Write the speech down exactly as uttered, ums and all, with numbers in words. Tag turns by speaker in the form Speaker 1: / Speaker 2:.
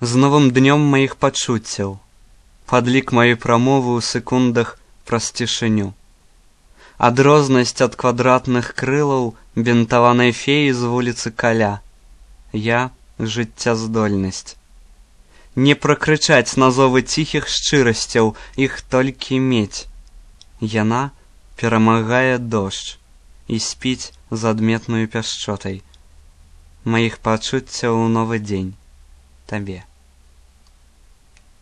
Speaker 1: з новым днём маіх пачуццяў, падлік маёй прамовы ў секундах праз цішыню. Адрознасць ад квадратных крылаў бінтаванай феі з вуліцы Каля. Я — жыццяздольнасць. Не пракрычаць на зовы ціхіх шчырасцяў, іх толькі мець. Яна перамагае дождж і спіць з адметнаю пяшчотай маіх пачуццяў у новы дзень табе.